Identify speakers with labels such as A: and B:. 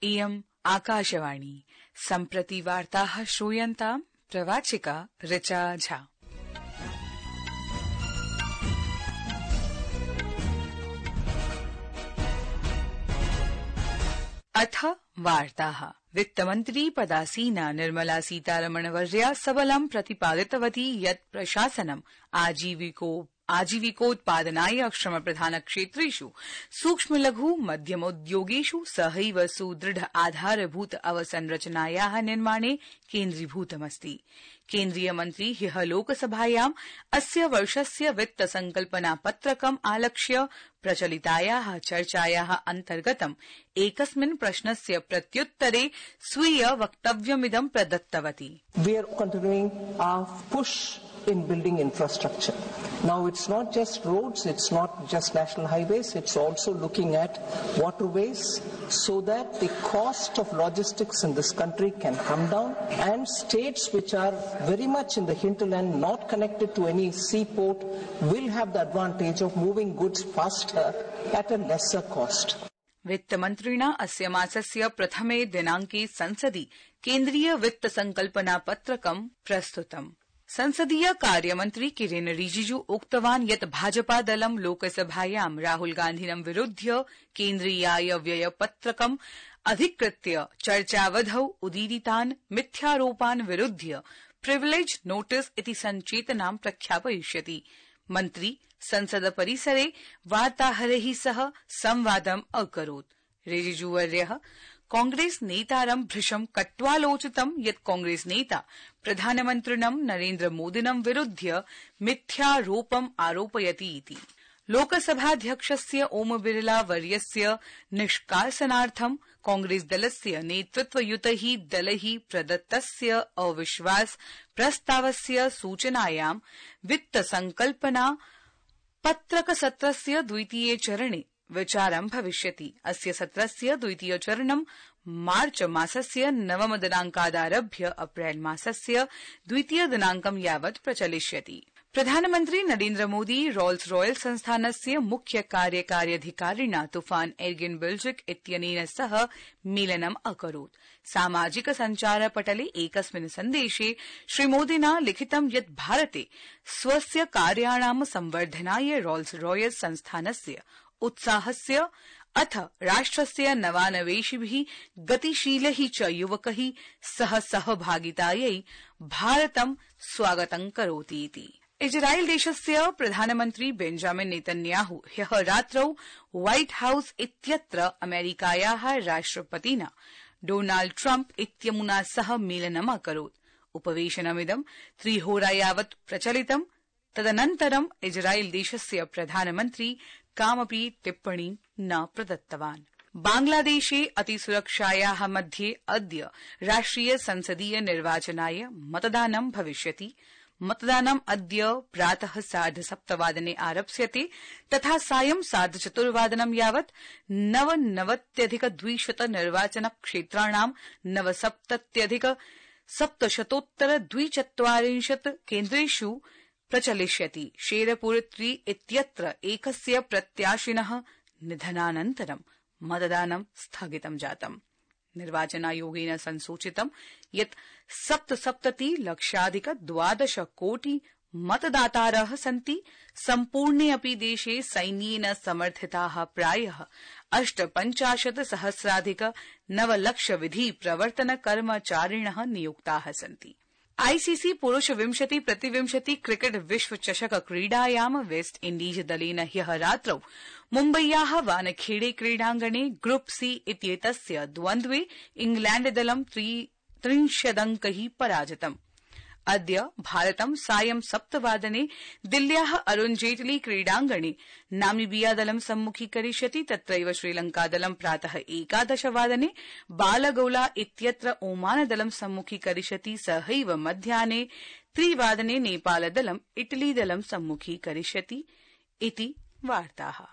A: इयम् आकाशवाणी सम्प्रति वार्ताः श्रूयन्ताम् प्रवाचिका ऋचा झा। अथ वार्ताः। वित्तमन्त्री पदासीना निर्मला सीतारमणवर्या सबलं प्रतिपादितवती यत् प्रशासनम् आजीविकोत्पादनाय श्रमप्रधानक्षेत्रेषु सूक्ष्म लघु मध्यमोद्योगेषु सहैव सुदृढ आधारभूत अवसंरचनायाः निर्माणे केन्द्रीभूतमस्ति। केन्द्रीय मन्त्री ह्यः लोकसभायाम् अस्य वर्षस्य वित्त संकल्पना पत्रकम् आलक्ष्य प्रचलितायाः चर्चायाः अन्तर्गतम् एकस्मिन् प्रश्नस्य प्रत्युत्तरे स्वीय वक्तव्यमिदं प्रदत्तवती।
B: We are continuing our push in building infrastructure. Now it's not just roads, it's not just national highways, it's also looking at waterways so that the cost of logistics in this country can come down, and states which are very much in the hinterland, not connected to any seaport, will have the advantage of moving goods faster at a lesser cost.
A: वित्तमन्त्रिणा अस्य मासस्य प्रथमे दिनाङ्के संसदि केन्द्रीय वित्त संकल्पना पत्रकं प्रस्तुतम्। संसदीय कार्यमन्त्री किरेन रिजिजू उक्तवान् यत् भाजपा दलं लोकसभायां राहुल गान्धिनं विरुध्य केन्द्रीयाय व्यय पत्रकम् अधिकृत्य चर्चावधौ उदीरितान् मिथ्यारोपान् विरुध्य प्रिविलेज नोटिस इति संचेतनां प्रख्यापयिष्यति। मन्त्री संसद परिसरे वार्ताहरैः सह संवादम् अकरोत्। रिजिजूवर्यः कांग्रेस नेतारं भृशं कट्वालोचितं यत् कांग्रेस नेता प्रधानमन्त्रिणं नरेन्द्र मोदिनं विरुध्य मिथ्यारोपम् आरोपयति इति। लोकसभाध्यक्षस्य ओम बिरला वर्यस्य निष्कासनार्थं कांग्रेस दलस्य नेतृत्वयुतैः दलैः प्रदत्तस्य अविश्वास प्रस्तावस्य सूचनायां वित्त संकल्पना पत्रकसत्रस्य द्वितीये चरणे विचारं भविष्यति। अस्य सत्रस्य द्वितीय चरणं मार्च मासस्य 9 दिनाङ्कादारभ्य अप्रैल मासस्य द्वितीय दिनाङ्कं यावत् प्रचलिष्यति। प्रधानमन्त्री नरेन्द्र मोदी रोल्स रॉयल संस्थानस्य मुख्य कार्यकार्यधिकारिणा तूफान एर्गिन बिल्जिक इत्यनेन सह मेलनम् अकरोत्। सामाजिक सञ्चारपटले एकस्मिन् सन्देशे श्रीमोदिना लिखितं यत् भारते स्वस्य कार्याणां संवर्धनाय रोल्स रॉयल संस्थानस्य उत्साहस्य अथ राष्ट्रस्य नवानवेशिभिः गतिशीलैः च युवकैः सह सहभागितायै भारतं स्वागतं करोति इति। इजराइल देशस्य प्रधानमन्त्री बेंजामिन नेतन्याहू ह्यः रात्रौ व्हाइट हाउस इत्यत्र अमेरिकायाः राष्ट्रपतिना डोनाल्ड ट्रम्प इत्यमुना सह मेलनम् अकरोत्। उपवेशनमिदं 3 होरा यावत् प्रचलितम्। तदनन्तरं इजराइल देशस्य प्रधानमन्त्री कामपि टिप्पणीं न प्रदत्तवान्। बांग्लादेशे अतिसुरक्षायाः मध्ये अद्य राष्ट्रिय संसदीय निर्वाचनाय मतदानं भविष्यति। मतदानम् अद्य प्रातः 7:30 आरप्स्यते तथा सायं 4:15 यावत् 99,200 निर्वाचनक्षेत्राणां 79,740 केन्द्रेषु प्रचलिष्यति। शेरपुर 3 इत्यत्र एकस्य प्रत्याशिनः निधनानन्तरं मतदानं स्थगितं जातम्। निर्वाचनायोगेन संसूचितं यत् 77,00,012 कोटि मतदातारः सन्ति। सम्पूर्णे अपि देशे सैन्येन समर्थिताः प्रायः 58,000,900 विधि प्रवर्तन कर्मचारिणः नियुक्ताः सन्ति। आईसीसी पुरुष 20-20 क्रिकेट विश्व चषक क्रीडायां वेस्ट इण्डीज दलेन ह्यः रात्रौ मुम्बय्याः वानखेड़े क्रीडाङ्गणे ग्रुप सी इत्येतस्य द्वन्द्वे इंग्लैण्डदलं 30 अङ्कैः पराजितम्। अद्य भारतं सायं 7 दिल्ल्याः अरुण जेटली क्रीडाङ्गणे नामीबियादलं सम्मुखीकरिष्यति। तत्रैव श्रीलंकादलं प्रातः 11 बालगौला इत्यत्र ओमानदलं सम्मुखीकरिष्यति। सहैव मध्याह्ने 3 नेपालदलं इटलीदलं सम्मुखीकरिष्यति इति वार्ताः।